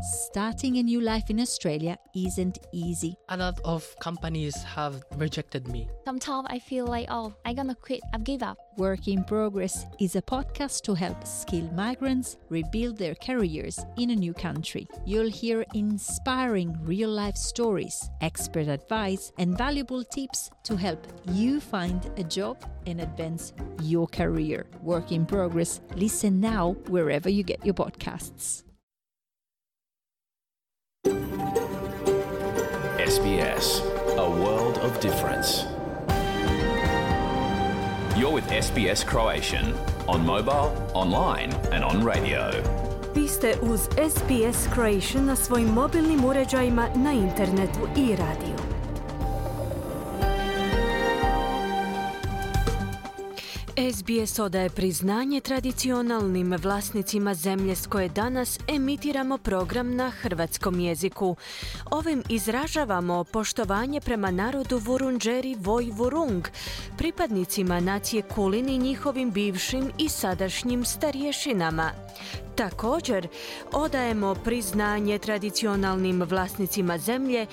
Starting a new life in Australia isn't easy. A lot of companies have rejected me. Sometimes I feel like, I'm gonna quit, I've give up. Work in Progress is a podcast to help skilled migrants rebuild their careers in a new country. You'll hear inspiring real-life stories, expert advice, and valuable tips to help you find a job and advance your career. Work in Progress. Listen now wherever you get your podcasts. SBS, a world of difference. You're with SBS Croatian on mobile, online and on radio. Vi ste uz SBS Croatian na svojim mobilnim uređajima, na internetu i radiju. SBS odaje priznanje tradicionalnim vlasnicima zemlje s koje danas emitiramo program na hrvatskom jeziku. Ovim izražavamo poštovanje prema narodu Vurundjeri Voi Vurung, pripadnicima nacije Kulin i njihovim bivšim i sadašnjim starješinama. Također, odajemo priznanje tradicionalnim vlasnicima zemlje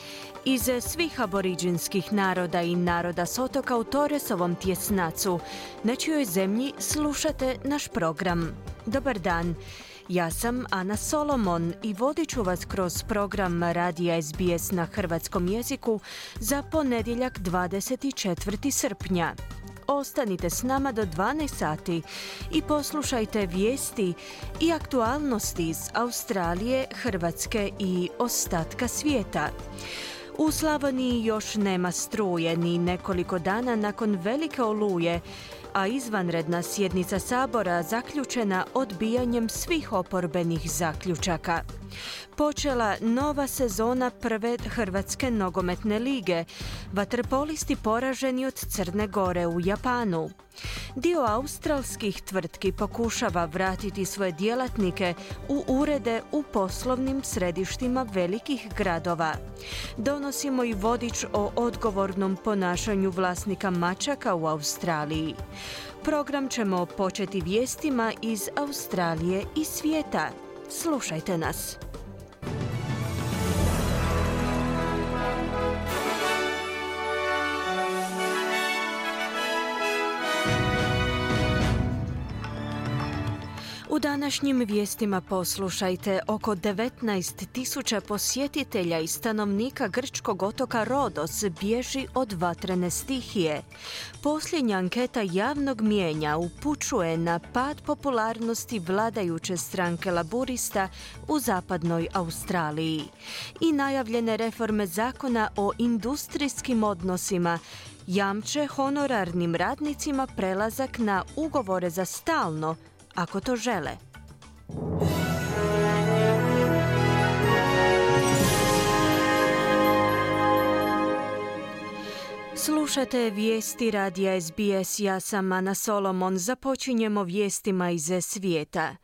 iz svih aboriđinskih naroda i naroda s otoka u Torresovom tjesnacu, na čijoj zemlji slušate naš program. Dobar dan, ja sam Ana Solomon i vodit ću vas kroz program radija SBS na hrvatskom jeziku za ponedjeljak 24. srpnja. Ostanite s nama do 12 sati i poslušajte vijesti i aktualnosti iz Australije, Hrvatske i ostatka svijeta. U Slavoniji još nema struje ni nekoliko dana nakon velike oluje, a izvanredna sjednica Sabora zaključena odbijanjem svih oporbenih zaključaka. Počela nova sezona prve Hrvatske nogometne lige. Vaterpolisti poraženi od Crne Gore u Japanu. Dio australskih tvrtki pokušava vratiti svoje djelatnike u urede u poslovnim središtima velikih gradova. Donosimo i vodič o odgovornom ponašanju vlasnika mačaka u Australiji. Program ćemo početi vijestima iz Australije i svijeta. Slušajte nas. U današnjim vijestima poslušajte, oko 19.000 posjetitelja i stanovnika grčkog otoka Rodos bježi od vatrene stihije. Posljednja anketa javnog mijenja upućuje na pad popularnosti vladajuće stranke Laburista u zapadnoj Australiji. I najavljene reforme zakona o industrijskim odnosima jamče honorarnim radnicima prelazak na ugovore za stalno, ako to žele. Slušate vijesti radija SBS, ja sam Ana Solomon. Započinjemo vijestima iz svijeta.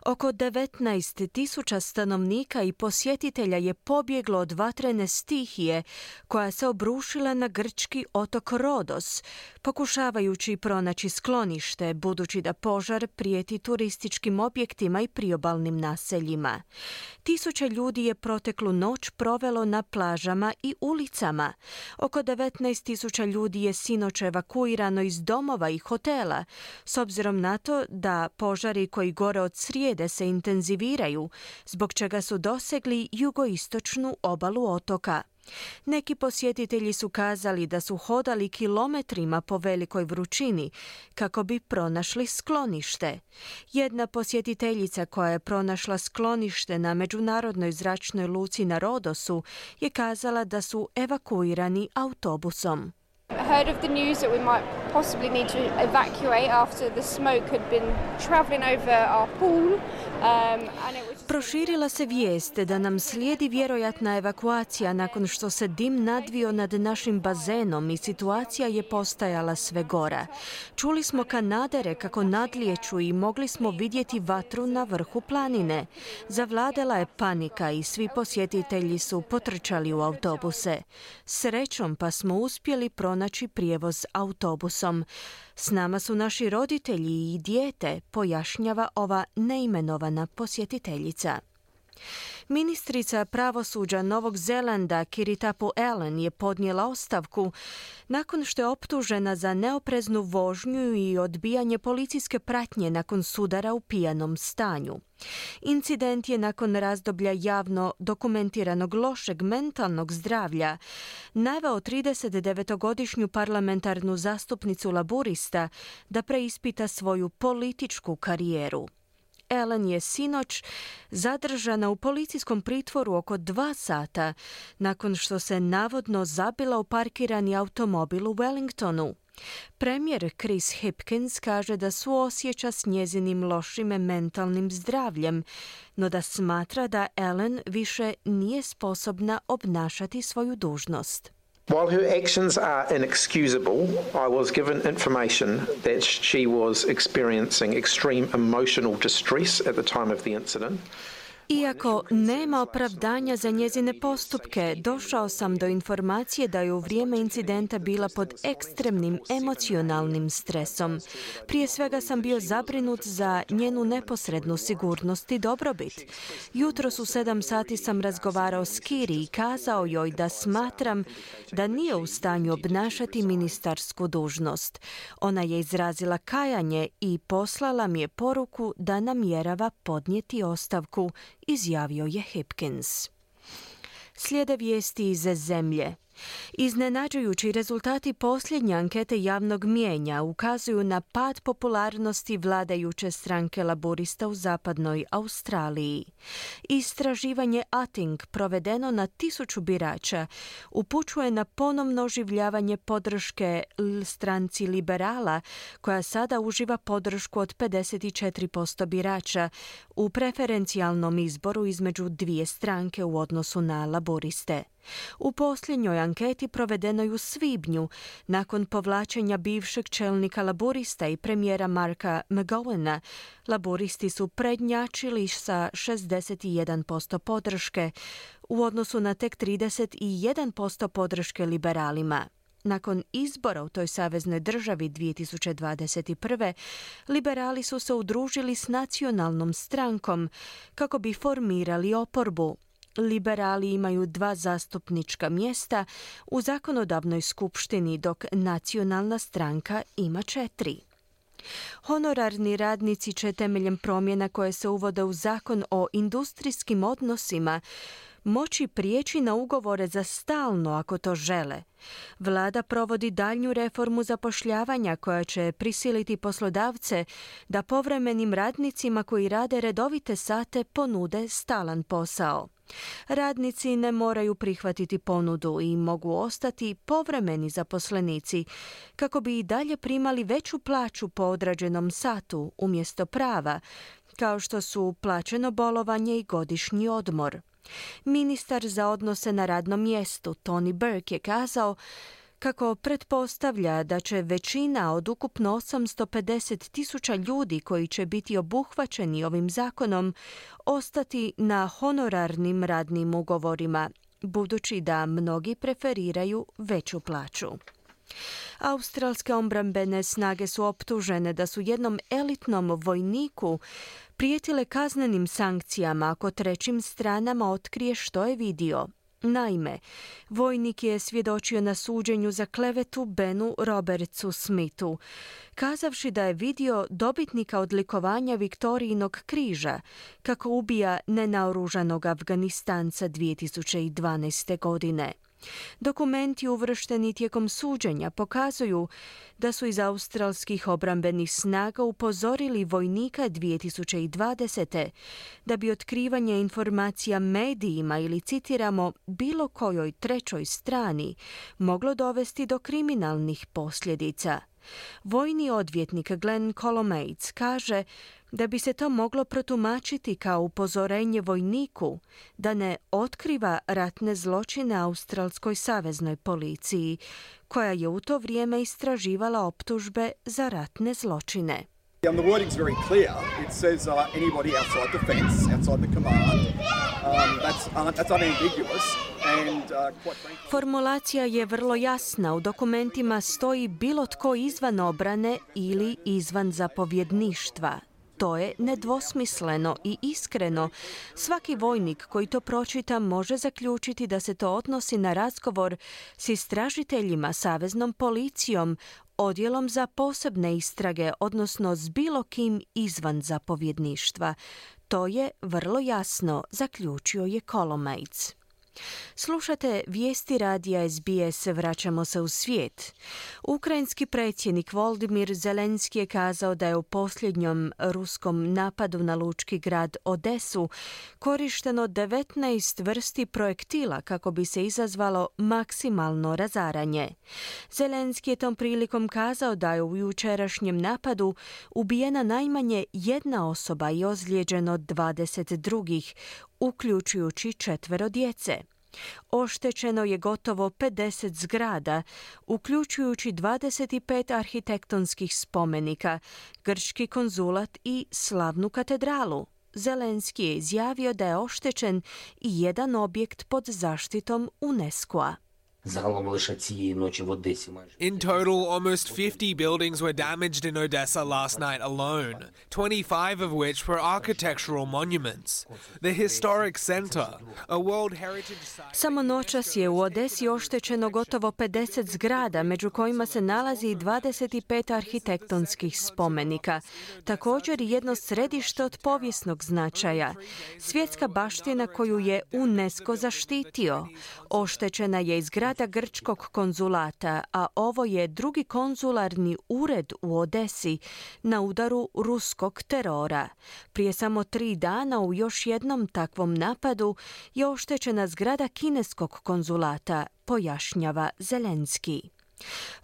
Oko 19.000 stanovnika i posjetitelja je pobjeglo od vatrene stihije koja se obrušila na grčki otok Rodos, pokušavajući pronaći sklonište, budući da požar prijeti turističkim objektima i priobalnim naseljima. Tisuće ljudi je proteklu noć provelo na plažama i ulicama. Oko 19.000 ljudi je sinoć evakuirano iz domova i hotela, s obzirom na to da požari koji gore od srijede se intenziviraju, zbog čega su dosegli jugoistočnu obalu otoka. Neki posjetitelji su kazali da su hodali kilometrima po velikoj vrućini kako bi pronašli sklonište. Jedna posjetiteljica koja je pronašla sklonište na međunarodnoj zračnoj luci na Rodosu je kazala da su evakuirani autobusom. I heard of the news that we might possibly need to evacuate after the smoke had been traveling over our pool. Proširila se vijest da nam slijedi vjerojatna evakuacija nakon što se dim nadvio nad našim bazenom i situacija je postajala sve gora. Čuli smo kanadere kako nadlijeću i mogli smo vidjeti vatru na vrhu planine. Zavladala je panika i svi posjetitelji su potrčali u autobuse. Srećom pa smo uspjeli pronaći prijevoz autobusom. S nama su naši roditelji i dijete, pojašnjava ova neimenovana posjetiteljica. Ministrica pravosuđa Novog Zelanda Kiritapu Allen je podnijela ostavku nakon što je optužena za neopreznu vožnju i odbijanje policijske pratnje nakon sudara u pijanom stanju. Incident je nakon razdoblja javno dokumentiranog lošeg mentalnog zdravlja naveo 39-godišnju parlamentarnu zastupnicu laburista da preispita svoju političku karijeru. Allen je sinoć zadržana u policijskom pritvoru oko 2 sata nakon što se navodno zabila u parkirani automobil u Wellingtonu. Premijer Chris Hipkins kaže da suosjeća s njezinim lošim mentalnim zdravljem, no da smatra da Allen više nije sposobna obnašati svoju dužnost. While her actions are inexcusable, I was given information that she was experiencing extreme emotional distress at the time of the incident. Iako nema opravdanja za njezine postupke, došao sam do informacije da je u vrijeme incidenta bila pod ekstremnim emocionalnim stresom. Prije svega sam bio zabrinut za njenu neposrednu sigurnost i dobrobit. Jutros u 7 sati sam razgovarao s Kiri i kazao joj da smatram da nije u stanju obnašati ministarsku dužnost. Ona je izrazila kajanje i poslala mi je poruku da namjerava podnijeti ostavku, izjavio je Hipkins. Slijede vijesti iz zemlje. Iznenađujući rezultati posljednje ankete javnog mijenja ukazuju na pad popularnosti vladajuće stranke laburista u zapadnoj Australiji. Istraživanje Ating provedeno na 1000 birača upućuje na ponovno oživljavanje podrške stranci liberala, koja sada uživa podršku od 54% birača u preferencijalnom izboru između dvije stranke u odnosu na laburiste. U posljednjoj anketi provedenoj u svibnju, nakon povlačenja bivšeg čelnika laburista i premijera Marka McGowana, laburisti su prednjačili sa 61% podrške u odnosu na tek 31% podrške liberalima. Nakon izbora u toj saveznoj državi 2021. liberali su se udružili s nacionalnom strankom kako bi formirali oporbu. Liberali imaju 2 zastupnička mjesta u zakonodavnoj skupštini, dok nacionalna stranka ima 4. Honorarni radnici će temeljem promjena koje se uvode u zakon o industrijskim odnosima moći prijeći na ugovore za stalno ako to žele. Vlada provodi daljnju reformu zapošljavanja koja će prisiliti poslodavce da povremenim radnicima koji rade redovite sate ponude stalan posao. Radnici ne moraju prihvatiti ponudu i mogu ostati povremeni zaposlenici kako bi i dalje primali veću plaću po odrađenom satu umjesto prava, kao što su plaćeno bolovanje i godišnji odmor. Ministar za odnose na radnom mjestu Tony Burke je kazao kako pretpostavlja da će većina od ukupno 850,000 ljudi koji će biti obuhvaćeni ovim zakonom ostati na honorarnim radnim ugovorima, budući da mnogi preferiraju veću plaću. Australske obrambene snage su optužene da su jednom elitnom vojniku prijetile kaznenim sankcijama ako trećim stranama otkrije što je vidio. Naime, vojnik je svjedočio na suđenju za klevetu Benu Robertsu Smithu, kazavši da je vidio dobitnika odlikovanja Viktorijinog križa kako ubija nenaoružanog Afganistanca 2012. godine. Dokumenti uvršteni tijekom suđenja pokazuju da su iz australskih obrambenih snaga upozorili vojnika 2020. da bi otkrivanje informacija medijima ili, citiramo, bilo kojoj trećoj strani moglo dovesti do kriminalnih posljedica. Vojni odvjetnik Glenn Colomates kaže da bi se to moglo protumačiti kao upozorenje vojniku da ne otkriva ratne zločine australskoj saveznoj policiji, koja je u to vrijeme istraživala optužbe za ratne zločine. The wording's very clear. It says anybody outside the fence, outside the command. That's unambiguous. Formulacija je vrlo jasna. U dokumentima stoji bilo tko izvan obrane ili izvan zapovjedništva. To je nedvosmisleno i iskreno. Svaki vojnik koji to pročita može zaključiti da se to odnosi na razgovor s istražiteljima, saveznom policijom, odjelom za posebne istrage, odnosno s bilo kim izvan zapovjedništva. To je vrlo jasno, zaključio je Kolomaitz. Slušate vijesti radija SBS, vraćamo se u svijet. Ukrajinski predsjednik Volodymyr Zelenski je kazao da je u posljednjom ruskom napadu na lučki grad Odesu korišteno 19 vrsti projektila kako bi se izazvalo maksimalno razaranje. Zelenski je tom prilikom kazao da je u jučerašnjem napadu ubijena najmanje jedna osoba i ozlijeđeno 20 drugih, uključujući 4 djece. Oštećeno je gotovo 50 zgrada, uključujući 25 arhitektonskih spomenika, grčki konzulat i slavnu katedralu. Zelenski je izjavio da je oštećen i jedan objekt pod zaštitom UNESCO-a. In total, almost 50 buildings were damaged in Odessa last night alone, 25 of which were architectural monuments. The historic center, a World Heritage Site... Samo noćas je u Odesi oštećeno gotovo 50 zgrada, među kojima se nalazi i 25 arhitektonskih spomenika. Također i jedno središte od povijesnog značaja. Svjetska baština koju je UNESCO zaštitio. Oštećena je i zgrada grčkog konzulata, a ovo je drugi konzularni ured u Odesi na udaru ruskog terora. Prije samo 3 dana u još jednom takvom napadu je oštećena zgrada kineskog konzulata, pojašnjava Zelenski.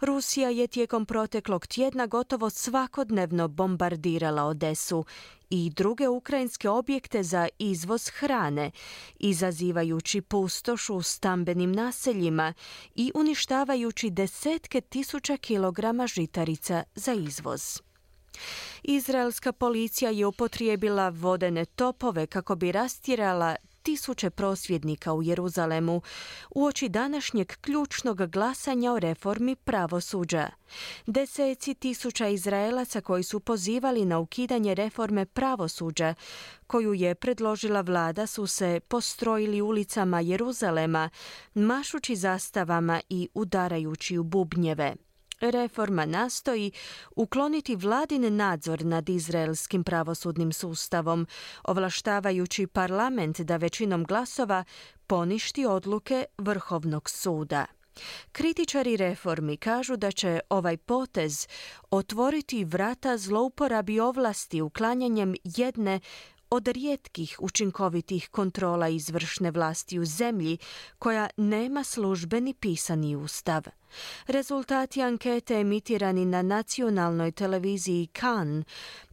Rusija je tijekom proteklog tjedna gotovo svakodnevno bombardirala Odesu i druge ukrajinske objekte za izvoz hrane, izazivajući pustoš u stambenim naseljima i uništavajući desetke tisuća kilograma žitarica za izvoz. Izraelska policija je upotrijebila vodene topove kako bi rastjerala tisuće prosvjednika u Jeruzalemu uoči današnjeg ključnog glasanja o reformi pravosuđa. Deseci tisuća Izraelaca koji su pozivali na ukidanje reforme pravosuđa, koju je predložila vlada, su se postrojili ulicama Jeruzalema, mašući zastavama i udarajući u bubnjeve. Reforma nastoji ukloniti vladin nadzor nad izraelskim pravosudnim sustavom, ovlaštavajući parlament da većinom glasova poništi odluke Vrhovnog suda. Kritičari reformi kažu da će ovaj potez otvoriti vrata zlouporabi ovlasti uklanjanjem jedne od rijetkih učinkovitih kontrola izvršne vlasti u zemlji koja nema službeni pisani ustav. Rezultati ankete emitirani na nacionalnoj televiziji Kan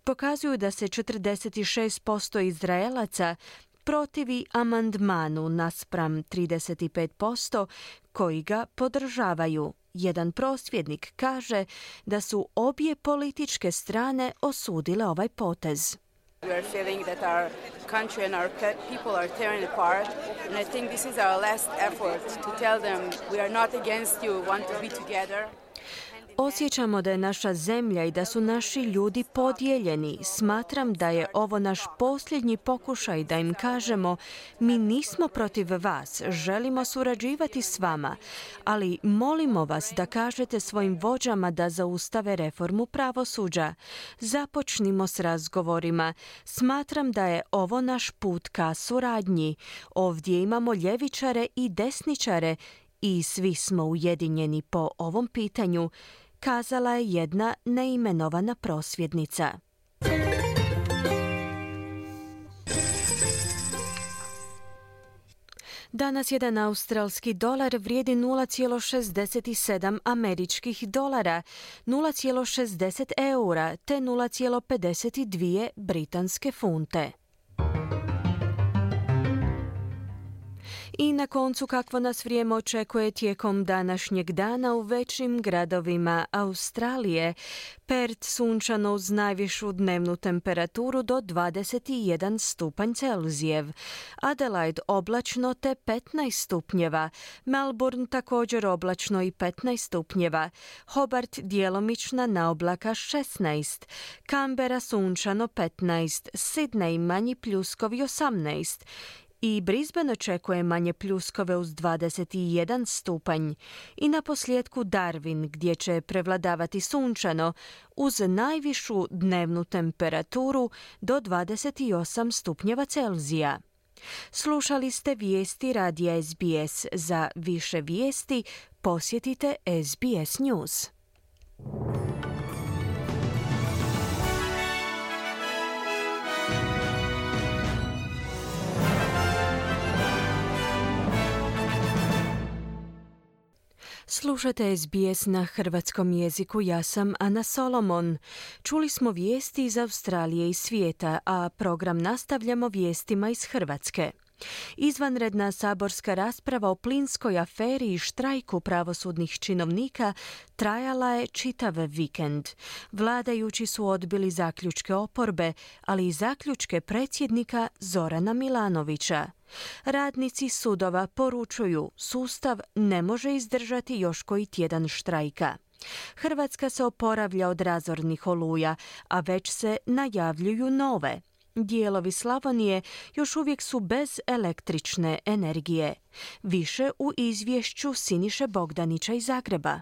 pokazuju da se 46% Izraelaca protivi amandmanu naspram 35% koji ga podržavaju. Jedan prosvjednik kaže da su obje političke strane osudile ovaj potez. We are feeling that our country and our people are tearing apart, and I think this is our last effort to tell them we are not against you, want to be together. Osjećamo da je naša zemlja i da su naši ljudi podijeljeni. Smatram da je ovo naš posljednji pokušaj da im kažemo mi nismo protiv vas, želimo surađivati s vama, ali molimo vas da kažete svojim vođama da zaustave reformu pravosuđa. Započnimo s razgovorima. Smatram da je ovo naš put ka suradnji. Ovdje imamo ljevičare i desničare i svi smo ujedinjeni po ovom pitanju, kazala je jedna neimenovana prosvjednica. Danas jedan australski dolar vrijedi 0,67 američkih dolara, 0,60 eura te 0,52 britanske funte. I na koncu kakvo nas vrijeme očekuje tijekom današnjeg dana u većim gradovima Australije. Perth sunčano uz najvišu dnevnu temperaturu do 21 stupanj Celzijev. Adelaide oblačno te 15 stupnjeva. Melbourne također oblačno i 15 stupnjeva. Hobart djelomična naoblaka 16. Canberra sunčano 15. Sydney manji pljuskovi 18. I Brisbane očekuje manje pljuskove uz 21 stupanj. I na posljedku Darwin gdje će prevladavati sunčano uz najvišu dnevnu temperaturu do 28 stupnjeva Celzija. Slušali ste vijesti radija SBS. Za više vijesti posjetite SBS News. Slušate SBS na hrvatskom jeziku, ja sam Ana Solomon. Čuli smo vijesti iz Australije i svijeta, a program nastavljamo vijestima iz Hrvatske. Izvanredna saborska rasprava o plinskoj aferi i štrajku pravosudnih činovnika trajala je čitav vikend. Vladajući su odbili zaključke oporbe, ali i zaključke predsjednika Zorana Milanovića. Radnici sudova poručuju, sustav ne može izdržati još koji tjedan štrajka. Hrvatska se oporavlja od razornih oluja, a već se najavljuju nove. Dijelovi Slavonije još uvijek su bez električne energije. Više u izvješću Siniše Bogdanića iz Zagreba.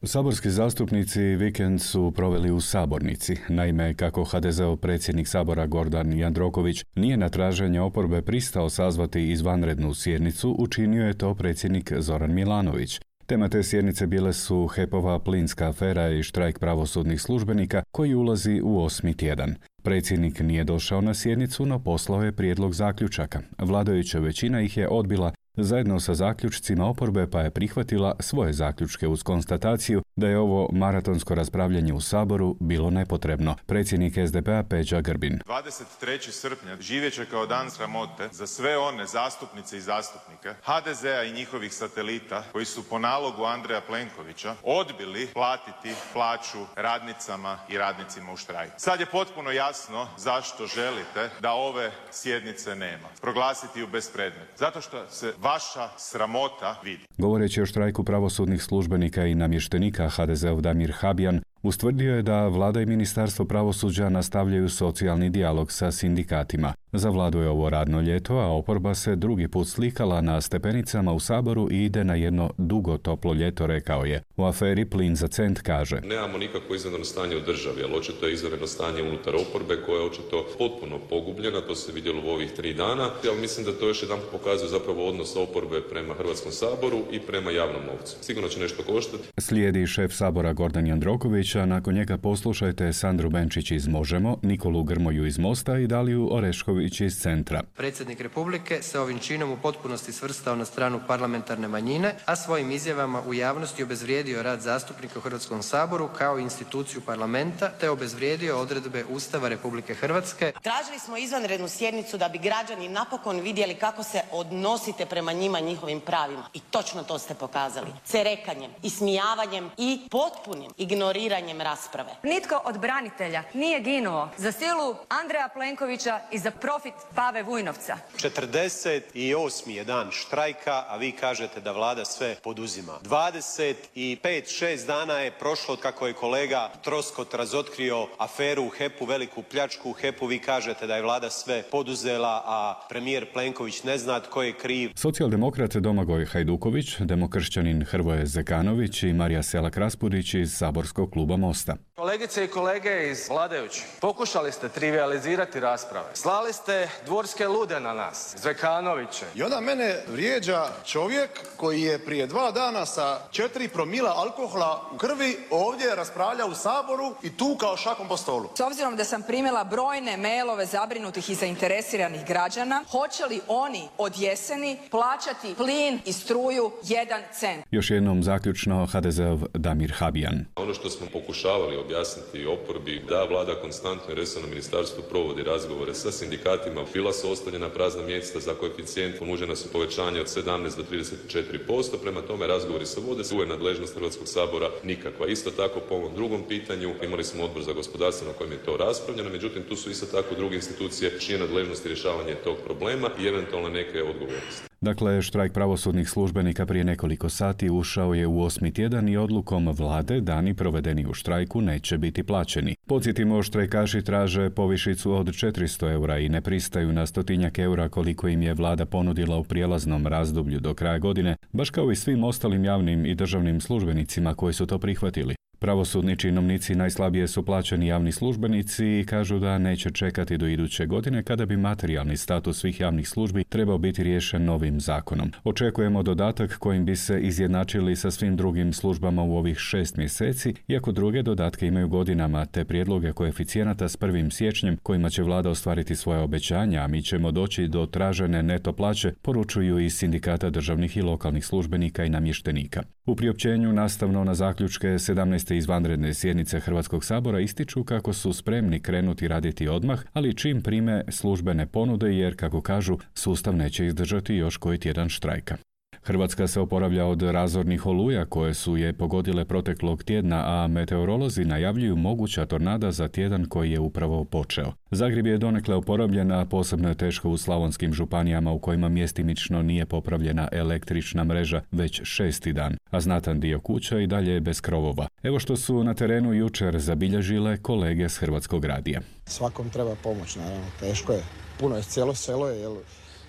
Saborski zastupnici vikend su proveli u sabornici. Naime, kako HDZ-ov predsjednik Sabora Gordan Jandroković nije na traženje oporbe pristao sazvati izvanrednu sjednicu, učinio je to predsjednik Zoran Milanović. Tema te sjednice bile su HEP-ova plinska afera i štrajk pravosudnih službenika koji ulazi u 8. tjedan. Predsjednik nije došao na sjednicu, no poslao je prijedlog zaključaka. Vladajuća većina ih je odbila zajedno sa zaključcima oporbe, pa je prihvatila svoje zaključke uz konstataciju da je ovo maratonsko raspravljanje u Saboru bilo nepotrebno. Predsjednik SDP-a Peđa Grbin. 23. srpnja živjet će kao dan sramote za sve one zastupnice i zastupnike HDZ-a i njihovih satelita koji su po nalogu Andreja Plenkovića odbili platiti plaću radnicama i radnicima u štrajku. Sad je potpuno jasno zašto želite da ove sjednice nema. Proglasiti ju bespredmetno. Zato što se vaša sramota vidi. Govoreći o štrajku pravosudnih službenika i namještenika, HDZ-ov Damir Habjan ustvrdio je da vlada i ministarstvo pravosuđa nastavljaju socijalni dijalog sa sindikatima. Za vladu je ovo radno ljeto, a oporba se drugi put slikala na stepenicama u Saboru i ide na jedno dugo toplo ljeto, rekao je. U aferi Plin za cent kaže: nemamo nikakvo izvanredno stanje u državi, ali očito je izvanredno stanje unutar oporbe koja je očito potpuno pogubljena, to se vidjelo u ovih 3 dana. Ali mislim da to još jedan pokazuje zapravo odnos oporbe prema Hrvatskom saboru i prema javnom novcu. Sigurno će nešto koštati. Slijedi šef Sabora Gordan Jandroković, a nakon njega poslušajte Sandru Benčić iz Možemo, Nikolu Grmoju iz Mosta i Daliju Orešković iz Centra. Predsjednik Republike se ovim činom u potpunosti svrstao na stranu parlamentarne manjine, a svojim izjavama u javnosti obezvrijedio rad zastupnika u Hrvatskom saboru kao instituciju parlamenta, te obezvrijedio odredbe Ustava Republike Hrvatske. Tražili smo izvanrednu sjednicu da bi građani napokon vidjeli kako se odnosite prema njima i njihovim pravima. I točno to ste pokazali. Cerekanjem, ismijavanjem i potpunim ignoriranjem rasprave. Nitko od branitelja nije ginuo za silu Andreja Plenkovića i za profit Pave Vujnovca. 48. je dan štrajka, a vi kažete da vlada sve poduzima. 25-6 dana je prošlo od kako je kolega Troskot razotkrio aferu u HEP-u, veliku pljačku u HEP-u. Vi kažete da je vlada sve poduzela, a premijer Plenković ne zna tko je kriv. Socijaldemokrat Domagoj Hajduković, demokršćanin Hrvoje Zekanović i Marija Selak-Raspudić iz saborskog kluba Mosta. Kolegice i kolege iz vladajućih, pokušali ste trivijalizirati rasprave. Slali ste dvorske lude na nas, Zekanoviće. I onda mene vrijeđa čovjek koji je prije 2 dana sa 4 promila alkohola u krvi ovdje raspravlja u Saboru i tu kao šakom po stolu. S obzirom da sam primila brojne mailove zabrinutih i zainteresiranih građana, hoće li oni od jeseni plaćati plin i struju 1 cent? Još jednom zaključno HDZ-ov Damir Habjan. Ono što smo pokušavali objasniti oporbi da vlada konstantno i resorno ministarstvo provodi razgovore sa sindikatima. Bila su ostavljena prazna mjesta za koeficijent, ponuđena su povećanje od 17 do 34%, prema tome razgovori se vode, tu je nadležnost Hrvatskog sabora nikakva. Isto tako po ovom drugom pitanju imali smo odbor za gospodarstvo na kojem je to raspravljeno, međutim tu su isto tako druge institucije čije nadležnosti rješavanje tog problema i eventualno neke odgovornosti. Dakle, štrajk pravosudnih službenika prije nekoliko sati ušao je u 8. tjedan i odlukom vlade dani provedeni u štrajku neće biti plaćeni. Podsjetimo, štrajkaši traže povišicu od 400 eura i ne pristaju na 100 eura koliko im je vlada ponudila u prijelaznom razdoblju do kraja godine, baš kao i svim ostalim javnim i državnim službenicima koji su to prihvatili. Pravosudni činovnici najslabije su plaćeni javni službenici i kažu da neće čekati do iduće godine kada bi materijalni status svih javnih službi trebao biti riješen novim zakonom. Očekujemo dodatak kojim bi se izjednačili sa svim drugim službama u ovih 6 mjeseci, iako druge dodatke imaju godinama, te prijedloge koeficijenata s 1. siječnjem kojima će vlada ostvariti svoje obećanja, a mi ćemo doći do tražene neto plaće, poručuju iz sindikata državnih i lokalnih službenika i namještenika. U priopćenju nastavno na zaključke 17. izvanredne sjednice Hrvatskog sabora ističu kako su spremni krenuti raditi odmah, ali čim prime službene ponude jer, kako kažu, sustav neće izdržati još koji tjedan štrajka. Hrvatska se oporavlja od razornih oluja koje su je pogodile proteklog tjedna, a meteorolozi najavljuju moguća tornada za tjedan koji je upravo počeo. Zagreb je donekle oporavljen, a posebno je teško u slavonskim županijama u kojima mjestimično nije popravljena električna mreža već 6. dan, a znatan dio kuća i dalje je bez krovova. Evo što su na terenu jučer zabilježile kolege s Hrvatskog radija. Svakom treba pomoć, naravno, teško je. Puno je, cijelo selo je, jer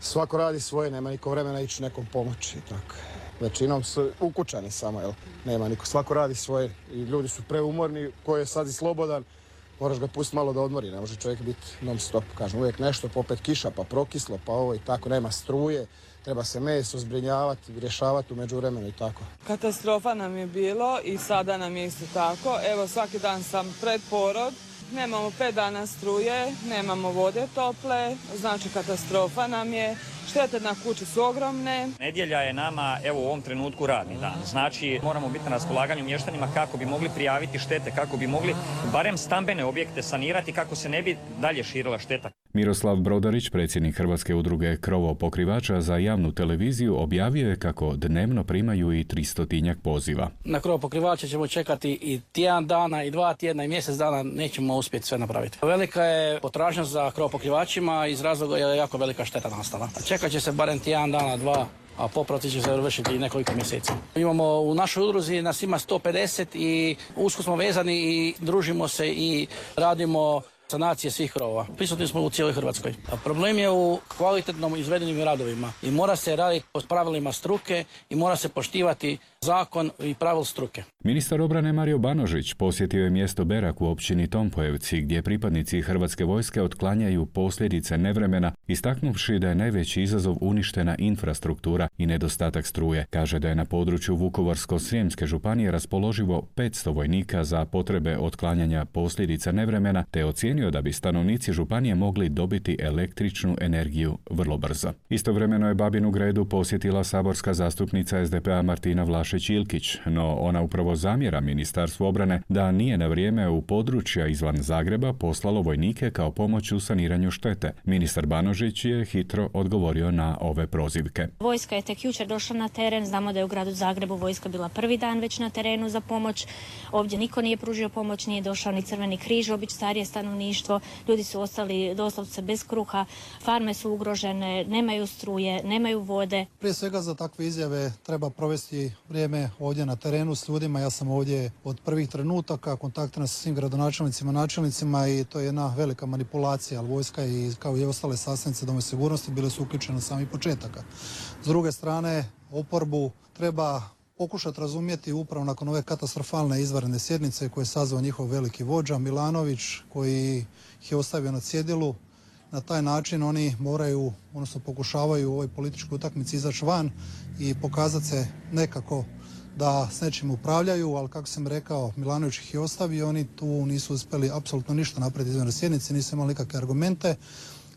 svako radi svoje, nema niko vremena ići nekom pomoći i tako. Većinom su ukućani samo, jel? Nema niko, svako radi svoje i ljudi su preumorni, ko je sad i slobodan, moraš ga pustiti malo da odmori, ne može čovjek biti non stop. Kažem, uvijek nešto, pa opet kiša, pa prokislo, pa ovo i tako, nema struje, treba se meso zbrinjavati, rješavati u međuvremenu i tako. Katastrofa nam je bilo i sada nam je isto tako. Evo, svaki dan sam pred porod. Nemamo 5 dana struje, nemamo vode tople, znači katastrofa nam je, štete na kući su ogromne. Nedjelja je nama, evo u ovom trenutku radni dan, znači moramo biti na raspolaganju mještanima kako bi mogli prijaviti štete, kako bi mogli barem stambene objekte sanirati kako se ne bi dalje širila šteta. Miroslav Brodarić, predsjednik Hrvatske udruge krovopokrivača za javnu televiziju, objavio je kako dnevno primaju i 300 poziva. Na krovopokrivače ćemo čekati i tjedan dana, i 2 tjedna, i mjesec dana, nećemo uspjeti sve napraviti. Velika je potražnja za krovopokrivačima, iz razloga je jako velika šteta nastala. Čekat će se barem tjedan dana, 2, a popravci će se završiti nekoliko mjeseci. Imamo u našoj udruzi, nas ima 150 i usko smo vezani i družimo se i radimo sanacije svih krovova. Prisutni smo u cijeloj Hrvatskoj. A problem je u kvalitetnom izvedenim radovima i mora se raditi po pravilima struke i mora se poštivati zakon i pravil struke. Ministar obrane Mario Banožić posjetio je mjesto Berak u općini Tompojevci gdje pripadnici Hrvatske vojske otklanjaju posljedice nevremena, istaknuvši da je najveći izazov uništena infrastruktura i nedostatak struje. Kaže da je na području Vukovarsko-srijemske županije raspoloživo 500 vojnika za potrebe otklanjanja posljedica nevremena, te ocijenio da bi stanovnici županije mogli dobiti električnu energiju vrlo brzo. Istovremeno je Babinu Gredu posjetila saborska zastupnica SDP-a Martina Vlašić-Ilkić, no ona upravo zamjera Ministarstvu obrane da nije na vrijeme u područja izvan Zagreba poslalo vojnike kao pomoć u saniranju štete. Ministar Banožić je hitro odgovorio na ove prozivke. Vojska je tek jučer došla na teren, znamo da je u gradu Zagrebu vojska bila prvi dan već na terenu za pomoć. Ovdje niko nije pružio pomoć, nije došao ni Crveni križ, obično starije stanovništvo, ljudi su ostali doslovce bez kruha, farme su ugrožene, nemaju struje, nemaju vode. Prije svega za takve izjave treba provesti vrijeme ovdje na terenu s ljudima. Ja sam ovdje od prvih trenutaka, kontaktirao sa svim gradonačelnicima, načelnicima i to je jedna velika manipulacija, ali vojska i kao i ostale sastavnice domovinske sigurnosti bile su uključene od samih početaka. S druge strane, oporbu treba pokušati razumjeti upravo nakon ove katastrofalne izvanredne sjednice koje je sazvao njihov veliki vođa Milanović, koji ih je ostavio na cjedilu. Na taj način oni moraju, odnosno pokušavaju u ovoj političkoj utakmici izaći van i pokazati se nekako da s nečim upravljaju, ali kako sam rekao, Milanović ih je ostavio, oni tu nisu uspjeli apsolutno ništa napraviti izvanredne sjednice, nisu imali nikakve argumente.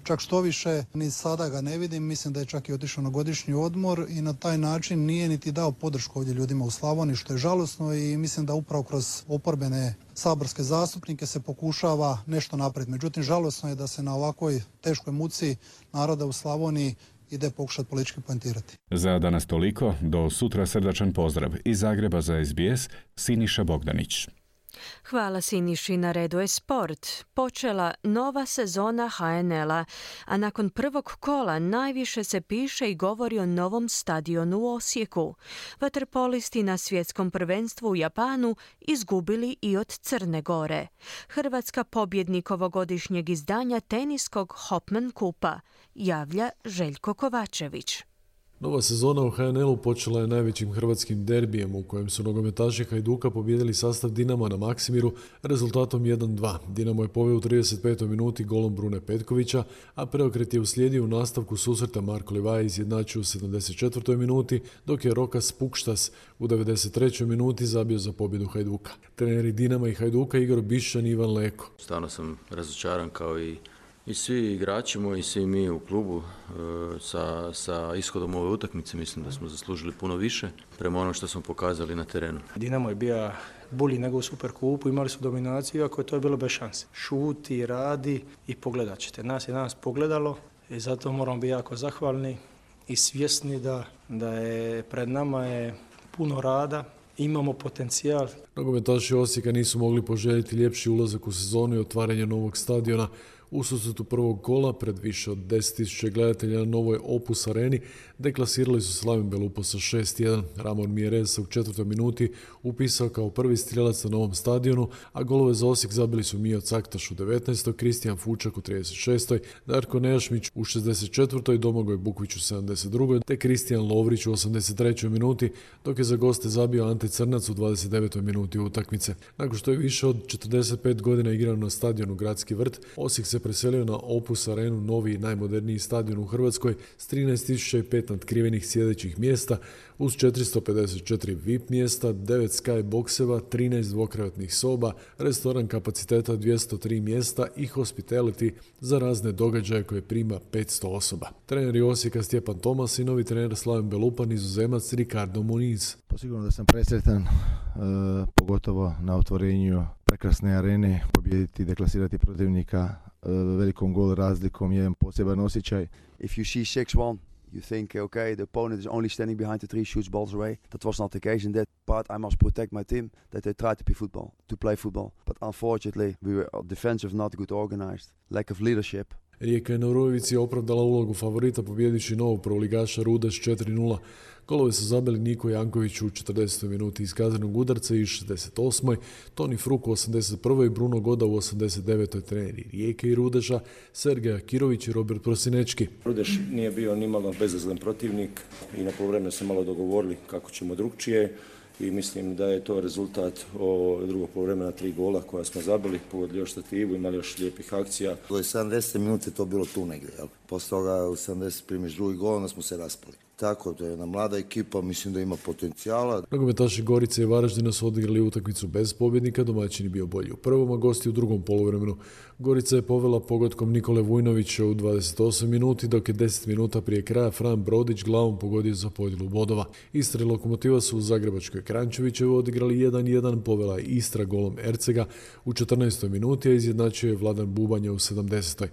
čak što više, ni sada ga ne vidim, mislim da je čak i otišao na godišnji odmor i na taj način nije niti dao podršku ovdje ljudima u Slavoniji, što je žalosno i mislim da upravo kroz oporbene saborske zastupnike se pokušava nešto napraviti. Međutim, žalosno je da se na ovakvoj teškoj muci naroda u Slavoniji ide pokušati politički poentirati. Za danas toliko, do sutra srdačan pozdrav iz Zagreba za SBS, Siniša Bogdanić. Hvala Siniši, na redu je sport. Počela nova sezona HNL-a, a nakon prvog kola najviše se piše i govori o novom stadionu u Osijeku. Vaterpolisti na svjetskom prvenstvu u Japanu izgubili i od Crne Gore. Hrvatska pobjednik ovogodišnjeg izdanja teniskog Hopman Kupa, javlja Željko Kovačević. Nova sezona u HNL-u počela je najvećim hrvatskim derbijem u kojem su nogometaši Hajduka pobijedili sastav Dinama na Maksimiru rezultatom 1-2. Dinamo je poveo u 35. minuti golom Brune Petkovića, a preokret je uslijedio u nastavku susreta. Marko Livaja izjednačio u 74. minuti, dok je Rokas Pukštas u 93. minuti zabio za pobjedu Hajduka. Treneri Dinama i Hajduka Igor Bišćan i Ivan Leko. Stvarno sam razočaran kao i svi igrači moji, i svi mi u klubu sa ishodom ove utakmice. Mislim da smo zaslužili puno više prema ono što smo pokazali na terenu. Dinamo je bio bolji nego u Superkupu, imali su dominaciju, iako je to bilo bez šanse. Šuti, radi i pogledat ćete. Nas je danas pogledalo i zato moramo biti jako zahvalni i svjesni da je pred nama je puno rada. Imamo potencijal. Nogometaši Osijeka nisu mogli poželjeti ljepši ulazak u sezonu i otvaranje novog stadiona. U susretu prvog kola pred više od 10.000 gledatelja na novoj Opus areni deklasirali su Slaven Belupo sa 6-1. Ramon Mjerez u 4. minuti upisao kao prvi strijelac na novom stadionu, a golove za Osijek zabili su Mijo Caktaš u 19. Kristijan Fučak u 36. Darko Nejašmić u 64. Domagoj Bukvić u 72. te Kristijan Lovrić u 83. minuti, dok je za goste zabio Ante Crnac u 29. minuti utakmice. Nakon što je više od 45 godina igrao na stadionu Gradski vrt, Osijek se preselio na Opus arenu, novi i najmoderniji stadion u Hrvatskoj s 13.005 natkrivenih sjedećih mjesta uz 454 VIP mjesta, 9 sky bokseva, 13 dvokrevetnih soba, restoran kapaciteta 203 mjesta i hospitality za razne događaje koje prima 500 osoba. Treneri Osijeka Stjepan Tomas i novi trener Slaven Belupa, Nizozemac Ricardo Muniz. Sigurno da sam presretan, pogotovo na otvorenju prekrasne arene, pobijediti i deklasirati protivnika velikom gol razlikom, jedan poseban osjećaj. If you see 6-1, you think, okay, the opponent is only standing behind the tree, shoots balls away. That was not the case in that part. I must protect my team, that they try to play football. But unfortunately, we were defensive, not good organized, lack of leadership. Rijeka je na Rujevici opravdala ulogu favorita pobjedići novog prvoligaša Rudeš 4-0. Golove su zabili Niko Janković u 40. minuti iz kaznenog udarca i 68. Toni Fruk u 81. i Bruno Goda u 89. Treneri Rijeke i Rudeša Sergej Akirović i Robert Prosinečki. Rudeš nije bio nimalo bezazlen protivnik i na poluvremenu se malo dogovorili kako ćemo drugčije i mislim da je to rezultat drugog poluvremena 3 gola koja smo zabili, pogodili još stativu, imali još lijepih akcija. Do 70 minuta je to bilo tu negdje, jel? Posle toga u 70 primiš drugi gol, onda smo se raspali. Tako, to je jedna mlada ekipa, mislim da ima potencijala. Nogometaši Gorice i Varaždina su odigrali utakmicu bez pobjednika, domaćin je bio bolji u prvom, a gosti u drugom poluvremenu. Gorica je povela pogodkom Nikole Vujnovića u 28 minuti, dok je 10 minuta prije kraja Fran Brodić glavom pogodio za podjelu bodova. Istra i Lokomotiva su u Zagrebačkoj Kranjčevićevoj odigrali 1-1, povela je Istra golom Ercega u 14. minuti, a izjednačio je Vladan Bubanja u 70.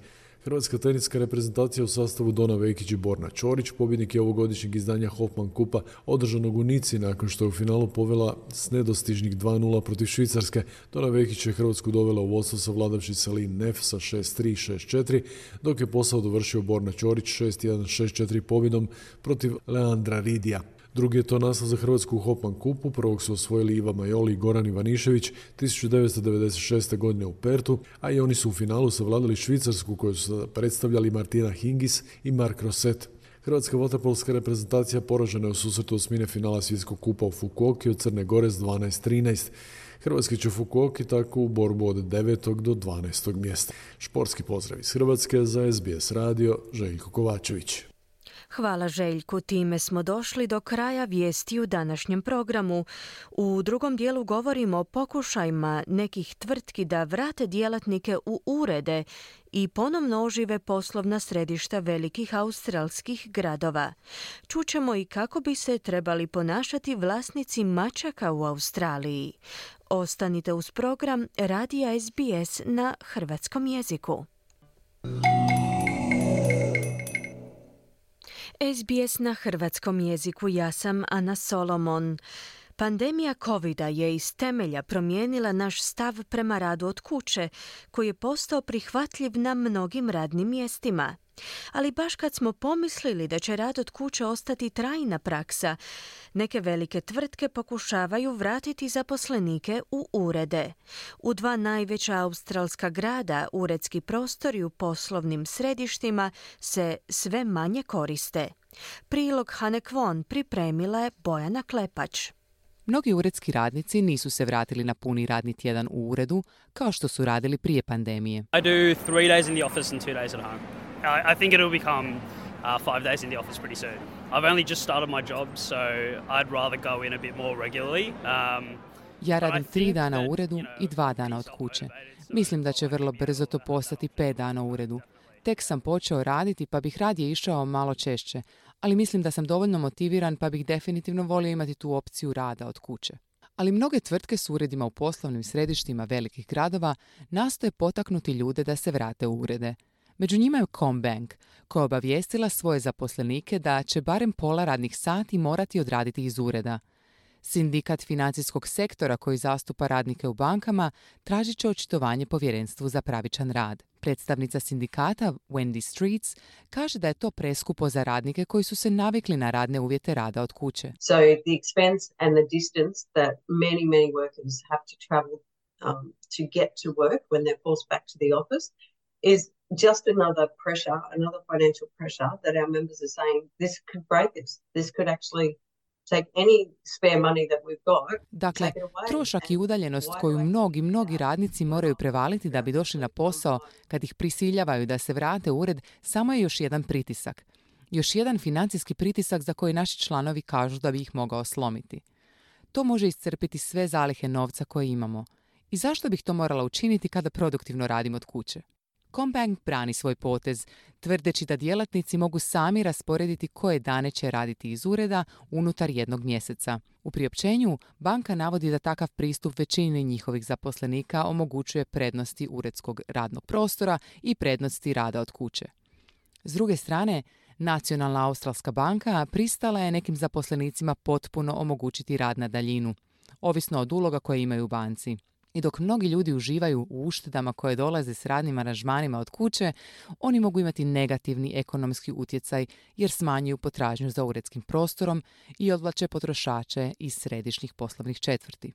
Hrvatska teniska reprezentacija u sastavu Dona Vekić i Borna Ćorić, pobjednik je ovogodišnjeg izdanja Hopman Kupa održanog u Nici nakon što je u finalu povela s nedostižnih 2-0 protiv Švicarske. Dona Vekić je Hrvatsku dovela u vodstvo savladavši Celine Neff sa 6-3, 6-4, dok je posao dovršio Borna Ćorić 6-1, 6-4 pobjedom protiv Leandra Ridija. Drugi je to naslov za Hrvatsku u Hopman Kupu, prvog su osvojili Iva Majoli i Goran Ivanišević 1996. godine u Pertu, a i oni su u finalu savladali Švicarsku koju su predstavljali Martina Hingis i Mark Rosset. Hrvatska vaterpolska reprezentacija poražena je u susretu osmine finala Svjetskog kupa u Fukuoki od Crne Gore s 12-13. Hrvatski će Fukuoki tako u borbu od 9. do 12. mjesta. Športski pozdrav iz Hrvatske za SBS radio, Željko Kovačević. Hvala Željku, time smo došli do kraja vijesti u današnjem programu. U drugom dijelu govorimo o pokušajima nekih tvrtki da vrate djelatnike u urede i ponovno ožive poslovna središta velikih australskih gradova. Čućemo i kako bi se trebali ponašati vlasnici mačaka u Australiji. Ostanite uz program Radija SBS na hrvatskom jeziku. SBS na hrvatskom jeziku, ja sam Ana Solomon. Pandemija covida je iz temelja promijenila naš stav prema radu od kuće, koji je postao prihvatljiv na mnogim radnim mjestima. Ali baš kad smo pomislili da će rad od kuće ostati trajna praksa, neke velike tvrtke pokušavaju vratiti zaposlenike u urede. U 2 najveća australska grada uredski prostori u poslovnim središtima se sve manje koriste. Prilog Hane Kwon pripremila je Bojana Klepač. Mnogi uredski radnici nisu se vratili na puni radni tjedan u uredu kao što su radili prije pandemije. I do 3 days in the office and 2 days at home. I think it'll become 5 days in the office pretty soon. I've only just started my job, so I'd rather go in a bit more regularly. Ja radim 3 dana u uredu i 2 dana od kuće. Mislim da će vrlo brzo to postati 5 dana u uredu. Tek sam počeo raditi pa bih radije išao malo češće, ali mislim da sam dovoljno motiviran pa bih definitivno volio imati tu opciju rada od kuće. Ali mnoge tvrtke s uredima u poslovnim središtima velikih gradova nastoje potaknuti ljude da se vrate u urede. Među njima je CommBank, koja je obavijestila svoje zaposlenike da će barem pola radnih sati morati odraditi iz ureda. Sindikat financijskog sektora koji zastupa radnike u bankama tražit će očitovanje povjerenstvu za pravičan rad. Predstavnica sindikata Wendy Streets kaže da je to preskupo za radnike koji su se navikli na radne uvjete rada od kuće. So the expense and the distance that many workers have to travel to get to work when they're forced back to the office is just another pressure, another financial pressure that our members are saying this could break this. This could actually take any spare money that we've got. Dakle, trošak i udaljenost koju mnogi radnici moraju prevaliti da bi došli na posao kad ih prisiljavaju da se vrate u ured samo je još jedan pritisak. Još jedan financijski pritisak za koji naši članovi kažu da bi ih mogao slomiti. To može iscrpiti sve zalihe novca koje imamo. I zašto bih to morala učiniti kada produktivno radim od kuće? CommBank brani svoj potez, tvrdeći da djelatnici mogu sami rasporediti koje dane će raditi iz ureda unutar jednog mjeseca. U priopćenju banka navodi da takav pristup većini njihovih zaposlenika omogućuje prednosti uredskog radnog prostora i prednosti rada od kuće. S druge strane, Nacionalna australska banka pristala je nekim zaposlenicima potpuno omogućiti rad na daljinu, ovisno od uloga koje imaju u banci. I dok mnogi ljudi uživaju u uštedama koje dolaze s radnim aranžmanima od kuće, oni mogu imati negativni ekonomski utjecaj jer smanjuju potražnju za uredskim prostorom i odvlače potrošače iz središnjih poslovnih četvrti.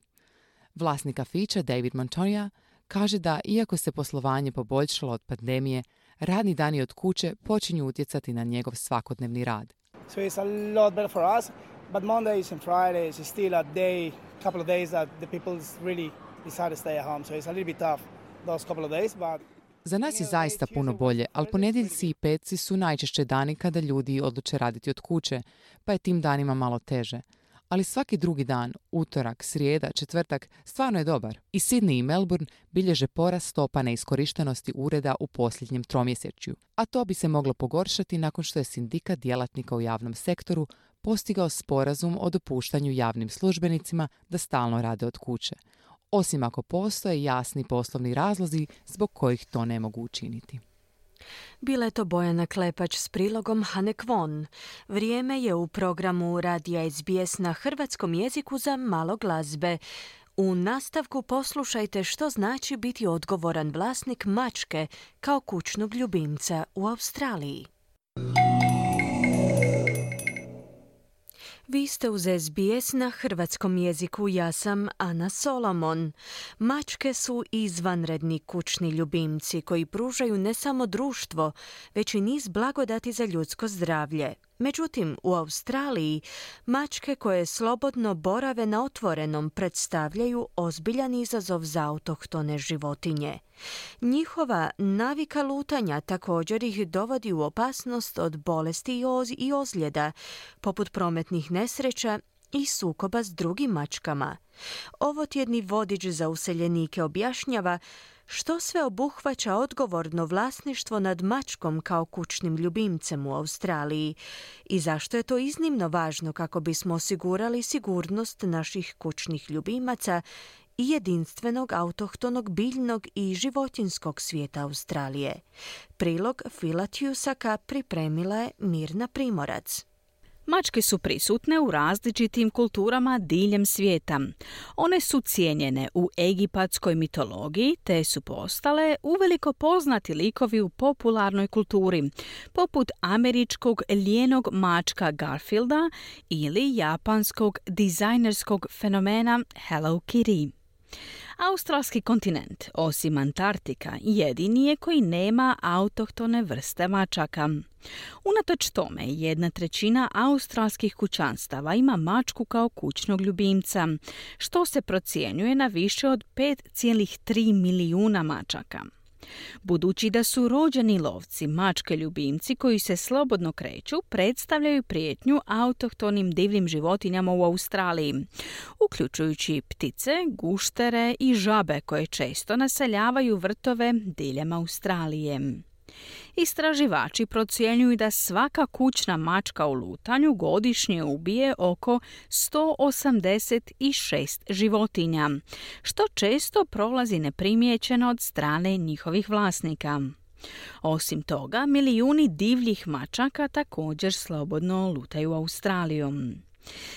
Vlasnik kafića David Montoya kaže da iako se poslovanje poboljšalo od pandemije, radni dani od kuće počinju utjecati na njegov svakodnevni rad. So it's a lot better for us, but Mondays and Fridays is still a couple of days that the people really decide to stay at home, so it's a little bit tough those couple of days, but za nas je zaista puno bolje, ali ponedjeljci i petci su najčešće dani kada ljudi odluče raditi od kuće, pa je tim danima malo teže. Ali svaki drugi dan, utorak, srijeda, četvrtak, stvarno je dobar. I Sydney i Melbourne bilježe porast stopa neiskorištenosti ureda u posljednjem tromjesečju. A to bi se moglo pogoršati nakon što je sindikat djelatnika u javnom sektoru postigao sporazum o dopuštanju javnim službenicima da stalno rade od kuće. Osim ako postoje jasni poslovni razlozi zbog kojih to ne mogu učiniti. Bila je to Bojana Klepač s prilogom Hane Kwon. Vrijeme je u programu Radija SBS na hrvatskom jeziku za malo glazbe. U nastavku poslušajte što znači biti odgovoran vlasnik mačke kao kućnog ljubimca u Australiji. Vi ste uz SBS na hrvatskom jeziku, ja sam Ana Solomon. Mačke su izvanredni kućni ljubimci koji pružaju ne samo društvo, već i niz blagodati za ljudsko zdravlje. Međutim, u Australiji mačke koje slobodno borave na otvorenom predstavljaju ozbiljan izazov za autohtone životinje. Njihova navika lutanja također ih dovodi u opasnost od bolesti i ozljeda, poput prometnih nesreća i sukoba s drugim mačkama. Ovotjedni vodič za useljenike objašnjava što sve obuhvaća odgovorno vlasništvo nad mačkom kao kućnim ljubimcem u Australiji i zašto je to iznimno važno kako bismo osigurali sigurnost naših kućnih ljubimaca i jedinstvenog autohtonog biljnog i životinjskog svijeta Australije. Prilog Phila Tusaka pripremila je Mirna Primorac. Mačke su prisutne u različitim kulturama diljem svijeta. One su cijenjene u egipatskoj mitologiji te su postale uveliko poznati likovi u popularnoj kulturi, poput američkog lijenog mačka Garfielda ili japanskog dizajnerskog fenomena Hello Kitty. Australski kontinent, osim Antarktika, jedini je koji nema autohtone vrste mačaka. Unatoč tome, 1/3 australskih kućanstava ima mačku kao kućnog ljubimca, što se procjenjuje na više od 5,3 milijuna mačaka. Budući da su rođeni lovci, mačke ljubimci koji se slobodno kreću predstavljaju prijetnju autohtonim divljim životinjama u Australiji, uključujući ptice, guštere i žabe koje često naseljavaju vrtove diljem Australije. Istraživači procjenjuju da svaka kućna mačka u lutanju godišnje ubije oko 186 životinja, što često prolazi neprimjećeno od strane njihovih vlasnika. Osim toga, milijuni divljih mačaka također slobodno lutaju Australijom.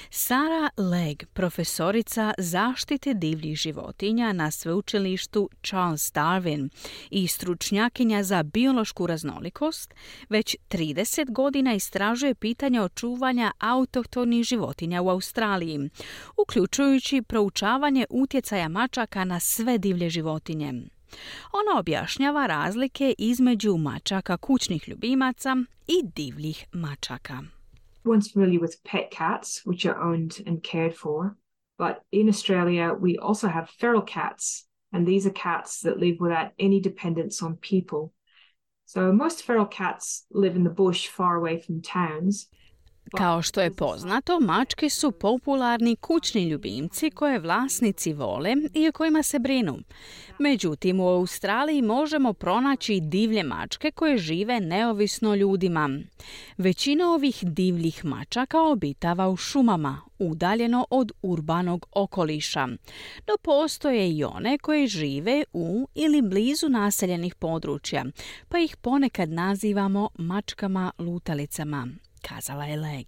Sarah Legg, profesorica zaštite divljih životinja na sveučilištu Charles Darwin i stručnjakinja za biološku raznolikost, već 30 godina istražuje pitanje očuvanja autohtonih životinja u Australiji, uključujući proučavanje utjecaja mačaka na sve divlje životinje. Ona objašnjava razlike između mačaka kućnih ljubimaca i divljih mačaka. Everyone's familiar with pet cats, which are owned and cared for. But in Australia, we also have feral cats, and these are cats that live without any dependence on people. So most feral cats live in the bush far away from towns. Kao što je poznato, mačke su popularni kućni ljubimci koje vlasnici vole i o kojima se brinu. Međutim, u Australiji možemo pronaći divlje mačke koje žive neovisno ljudima. Većina ovih divljih mačaka obitava u šumama, udaljeno od urbanog okoliša. No postoje i one koje žive u ili blizu naseljenih područja, pa ih ponekad nazivamo mačkama lutalicama, kazala je Legg.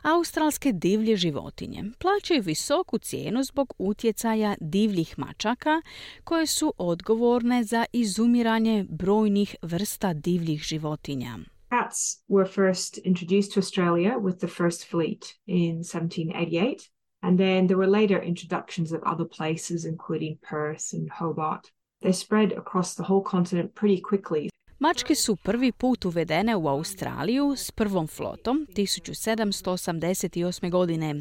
Australske divlje životinje plaćaju visoku cijenu zbog utjecaja divljih mačaka koje su odgovorne za izumiranje brojnih vrsta divljih životinja. Cats were first introduced to Australia with the first fleet in 1788, and then there were later introductions of other places including Perth and Hobart. They spread across the whole continent pretty quickly. Mačke su prvi put uvedene u Australiju s prvom flotom 1788. godine,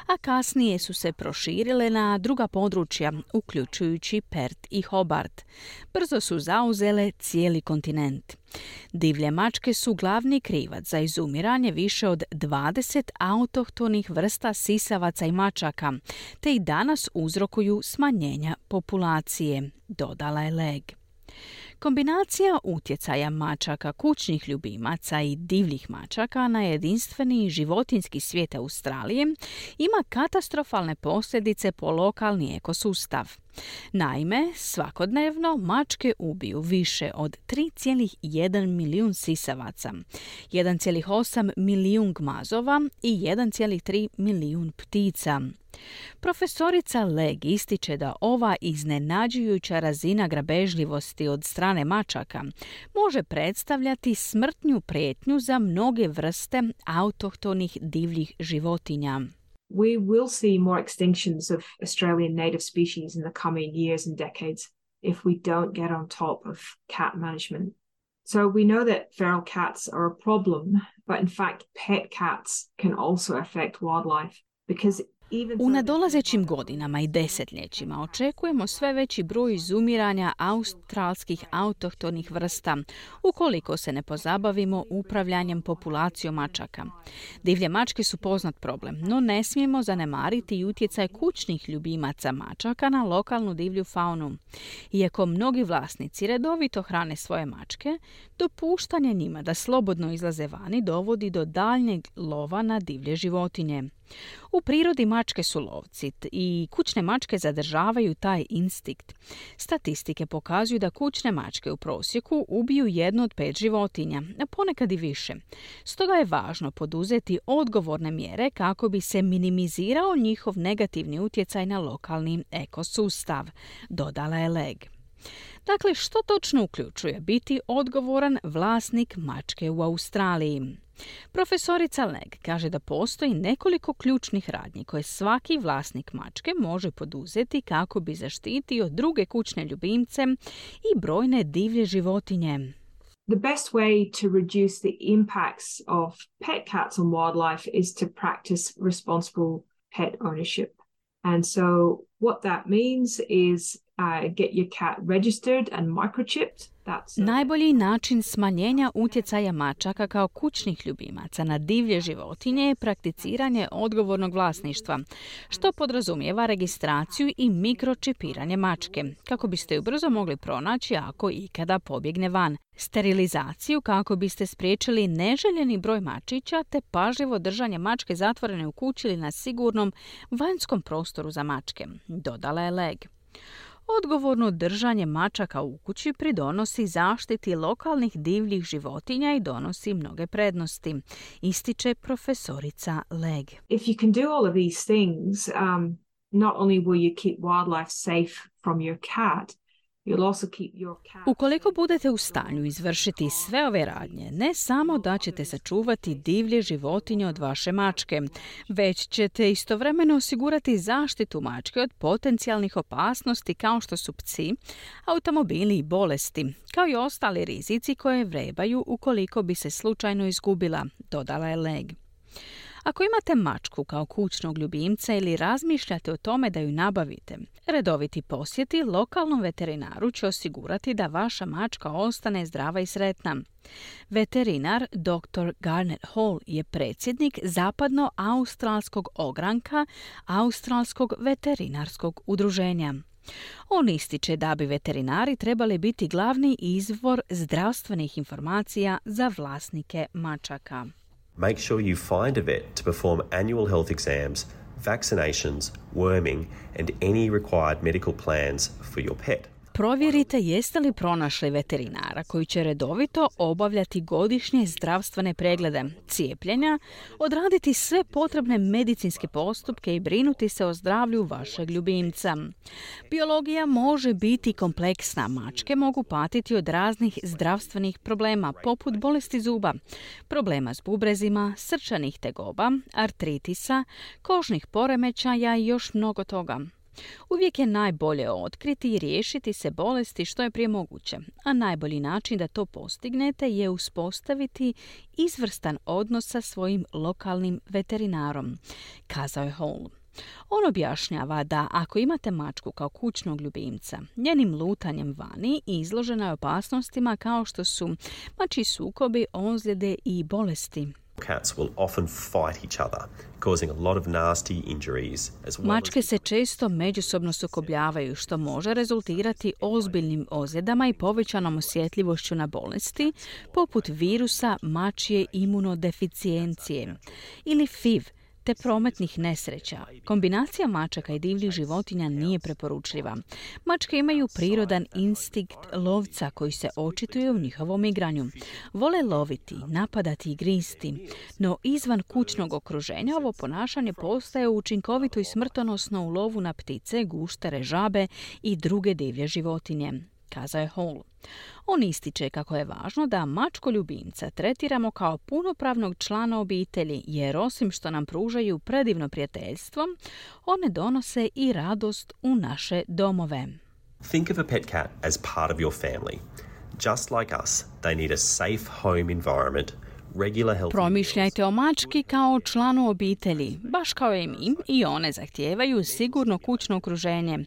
a kasnije su se proširile na druga područja, uključujući Perth i Hobart. Brzo su zauzele cijeli kontinent. Divlje mačke su glavni krivac za izumiranje više od 20 autohtonih vrsta sisavaca i mačaka, te i danas uzrokuju smanjenja populacije, dodala je Legg. Kombinacija utjecaja mačaka kućnih ljubimaca i divljih mačaka na jedinstveni životinjski svijet Australije ima katastrofalne posljedice po lokalni ekosustav. Naime, svakodnevno mačke ubiju više od 3,1 milijun sisavaca, 1,8 milijun gmazova i 1,3 milijun ptica. Profesorica Legg ističe da ova iznenađujuća razina grabežljivosti od strane mačaka može predstavljati smrtnu prijetnju za mnoge vrste autohtonih divljih životinja. We will see more extinctions of Australian native species in the coming years and decades if we don't get on top of cat management. So we know that feral cats are a problem, but in fact pet cats can also affect wildlife because u nadolazećim godinama i desetljećima očekujemo sve veći broj izumiranja australskih autohtonih vrsta ukoliko se ne pozabavimo upravljanjem populacijom mačaka. Divlje mačke su poznat problem, no ne smijemo zanemariti i utjecaj kućnih ljubimaca mačaka na lokalnu divlju faunu. Iako mnogi vlasnici redovito hrane svoje mačke, dopuštanje njima da slobodno izlaze vani dovodi do daljnjeg lova na divlje životinje. U prirodi mačke su lovci i kućne mačke zadržavaju taj instinkt. Statistike pokazuju da kućne mačke u prosjeku ubiju 1 od 5 životinja, a ponekad i više. Stoga je važno poduzeti odgovorne mjere kako bi se minimizirao njihov negativni utjecaj na lokalni ekosustav, dodala je Legg. Dakle, što točno uključuje biti odgovoran vlasnik mačke u Australiji? Profesorica Legg kaže da postoji nekoliko ključnih radnji koje svaki vlasnik mačke može poduzeti kako bi zaštitio druge kućne ljubimce i brojne divlje životinje. The best way to reduce the impacts of pet cats on wildlife is to practice responsible pet ownership. And so what that means is get your cat registered and microchipped. Najbolji način smanjenja utjecaja mačaka kao kućnih ljubimaca na divlje životinje je prakticiranje odgovornog vlasništva, što podrazumijeva registraciju i mikročipiranje mačke, kako biste ju brzo mogli pronaći ako ikada pobjegne van, sterilizaciju kako biste spriječili neželjeni broj mačića te pažljivo držanje mačke zatvorene u kući ili na sigurnom vanjskom prostoru za mačke, dodala je Legg. Odgovorno držanje mačaka u kući pridonosi zaštiti lokalnih divljih životinja i donosi mnoge prednosti, ističe profesorica Legg. If you can do all of these things, not only will you keep wildlife safe from your cat, ukoliko budete u stanju izvršiti sve ove radnje, ne samo da ćete sačuvati divlje životinje od vaše mačke, već ćete istovremeno osigurati zaštitu mačke od potencijalnih opasnosti kao što su psi, automobili i bolesti, kao i ostali rizici koje vrebaju ukoliko bi se slučajno izgubila, dodala je Legg. Ako imate mačku kao kućnog ljubimca ili razmišljate o tome da ju nabavite, redoviti posjeti lokalnom veterinaru će osigurati da vaša mačka ostane zdrava i sretna. Veterinar Dr. Garnet Hall je predsjednik zapadno-australskog ogranka Australskog veterinarskog udruženja. On ističe da bi veterinari trebali biti glavni izvor zdravstvenih informacija za vlasnike mačaka. Make sure you find a vet to perform annual health exams, vaccinations, worming, and any required medical plans for your pet. Provjerite jeste li pronašli veterinara koji će redovito obavljati godišnje zdravstvene preglede, cijepljenja, odraditi sve potrebne medicinske postupke i brinuti se o zdravlju vašeg ljubimca. Biologija može biti kompleksna. Mačke mogu patiti od raznih zdravstvenih problema, poput bolesti zuba, problema s bubrezima, srčanih tegoba, artritisa, kožnih poremećaja i još mnogo toga. Uvijek je najbolje otkriti i riješiti se bolesti što je prije moguće, a najbolji način da to postignete je uspostaviti izvrstan odnos sa svojim lokalnim veterinarom, kazao je Hall. On objašnjava da ako imate mačku kao kućnog ljubimca, njenim lutanjem vani izložena je opasnostima kao što su mačji sukobi, ozljede i bolesti. Cats will often fight each other, causing a lot of nasty injuries as well. Mačke se često međusobno sukobljavaju, što može rezultirati ozbiljnim ozljedama i povećanom osjetljivošću na bolesti, poput virusa mačje imunodeficijencije ili FIV, te prometnih nesreća. Kombinacija mačaka i divljih životinja nije preporučljiva. Mačke imaju prirodan instinkt lovca koji se očituje u njihovom igranju. Vole loviti, napadati i gristi, no izvan kućnog okruženja ovo ponašanje postaje učinkovito i smrtonosno u lovu na ptice, guštere, žabe i druge divlje životinje, kazao je Hall. On ističe kako je važno da mačko ljubimca tretiramo kao punopravnog člana obitelji, jer osim što nam pružaju predivno prijateljstvo, one donose i radost u naše domove. Think of a pet cat as part of your family. Just like us, they need a safe home environment, regular healthy meals. Promišljajte o mački kao o članu obitelji, baš kao i mi, i one zahtijevaju sigurno kućno okruženje,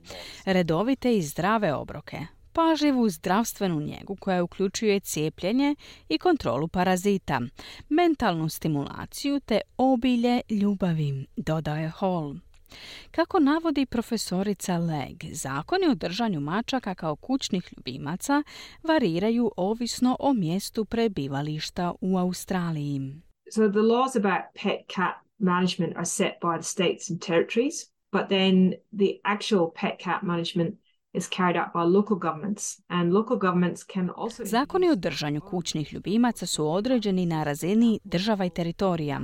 redovite i zdrave obroke, pažljivu zdravstvenu njegu koja uključuje cijepljenje i kontrolu parazita, mentalnu stimulaciju te obilje ljubavi, dodaje Hall. Kako navodi profesorica Legg, zakoni o držanju mačaka kao kućnih ljubimaca variraju ovisno o mjestu prebivališta u Australiji. So the laws about pet cat management are set by the states and territories, but then the actual pet cat management is carried out by local governments, and local governments can also... Zakoni o držanju kućnih ljubimaca su određeni na razini država i teritorija.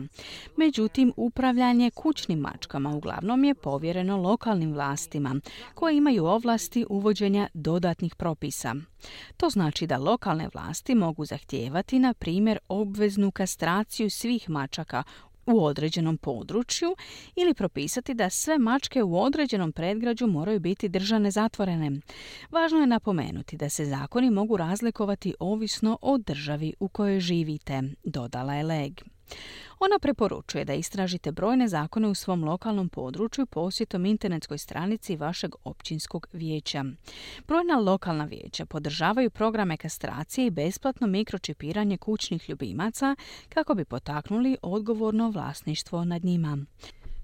Međutim, upravljanje kućnim mačkama uglavnom je povjereno lokalnim vlastima, koje imaju ovlasti uvođenja dodatnih propisa. To znači da lokalne vlasti mogu zahtijevati, na primjer, obveznu kastraciju svih mačaka u određenom području ili propisati da sve mačke u određenom predgrađu moraju biti držane zatvorene. Važno je napomenuti da se zakoni mogu razlikovati ovisno o državi u kojoj živite, dodala je Legg. Ona preporučuje da istražite brojne zakone u svom lokalnom području posjetom internetskoj stranici vašeg općinskog vijeća. Brojna lokalna vijeća podržavaju programe kastracije i besplatno mikročipiranje kućnih ljubimaca kako bi potaknuli odgovorno vlasništvo nad njima.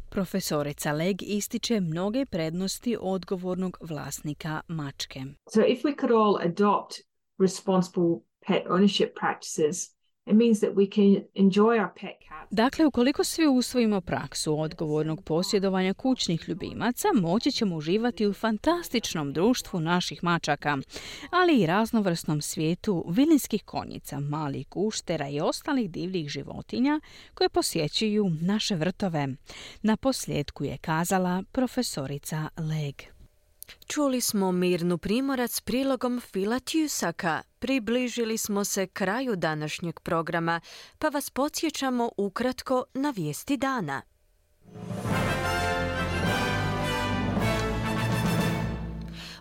Profesorica Legg ističe mnoge prednosti odgovornog vlasnika mačke. So if we could all adopt responsible pet ownership practices, it means that we can enjoy our pet cats. Dakle, ukoliko svi usvojimo praksu odgovornog posjedovanja kućnih ljubimaca, moći ćemo uživati u fantastičnom društvu naših mačaka, ali i raznovrsnom svijetu vilinskih konjica, malih guštera i ostalih divljih životinja koje posjećuju naše vrtove. Na posljedku je kazala profesorica Legg. Čuli smo Mirnu Primorac s prilogom Phila Tusaka. Približili smo se kraju današnjeg programa, pa vas podsjećamo ukratko na vijesti dana.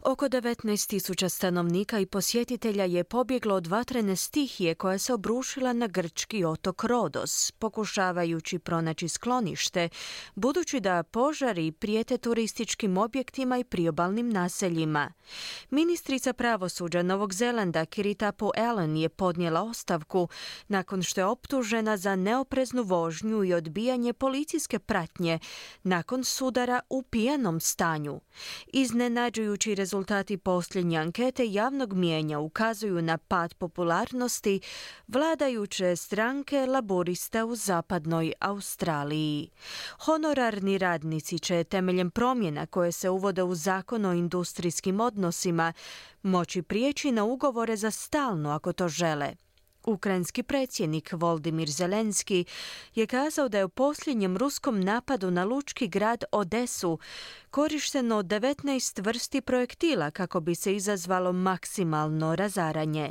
Oko 19.000 stanovnika i posjetitelja je pobjeglo od vatrene stihije koja se obrušila na grčki otok Rodos, pokušavajući pronaći sklonište, budući da požari prijete turističkim objektima i priobalnim naseljima. Ministrica pravosuđa Novog Zelanda Kiritapu Allen je podnijela ostavku nakon što je optužena za neopreznu vožnju i odbijanje policijske pratnje nakon sudara u pijanom stanju. Iznenađujući rezultati posljednje ankete javnog mijenja ukazuju na pad popularnosti vladajuće stranke Laborista u zapadnoj Australiji. Honorarni radnici će temeljem promjena koje se uvode u zakon o industrijskim odnosima moći prijeći na ugovore za stalno ako to žele. Ukrajinski predsjednik Voldimir Zelenski je kazao da je u posljednjem ruskom napadu na lučki grad Odesu korišteno 19 vrsti projektila kako bi se izazvalo maksimalno razaranje.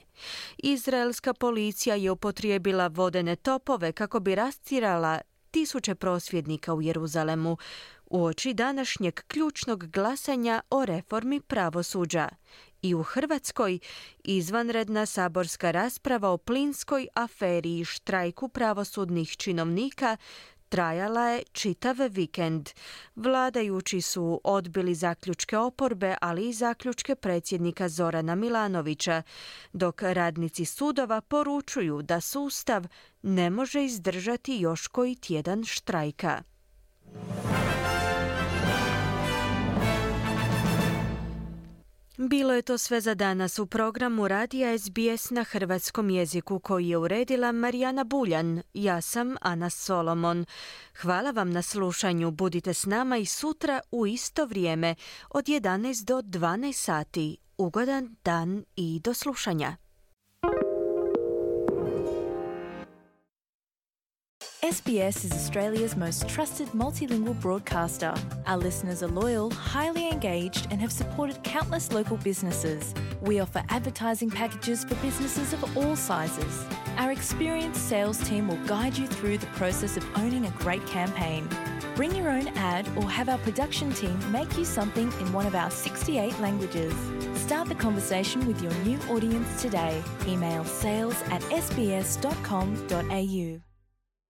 Izraelska policija je upotrijebila vodene topove kako bi rastjerala tisuće prosvjednika u Jeruzalemu uoči današnjeg ključnog glasanja o reformi pravosuđa. I u Hrvatskoj izvanredna saborska rasprava o plinskoj aferi i štrajku pravosudnih činovnika trajala je čitav vikend. Vladajući su odbili zaključke oporbe, ali i zaključke predsjednika Zorana Milanovića, dok radnici sudova poručuju da sustav ne može izdržati još koji tjedan štrajka. Bilo je to sve za danas u programu Radija SBS na hrvatskom jeziku koji je uredila Marijana Buljan. Ja sam Ana Solomon. Hvala vam na slušanju. Budite s nama i sutra u isto vrijeme od 11 do 12 sati. Ugodan dan i do slušanja. SBS is Australia's most trusted multilingual broadcaster. Our listeners are loyal, highly engaged, and have supported countless local businesses. We offer advertising packages for businesses of all sizes. Our experienced sales team will guide you through the process of owning a great campaign. Bring your own ad or have our production team make you something in one of our 68 languages. Start the conversation with your new audience today. Email sales@sbs.com.au.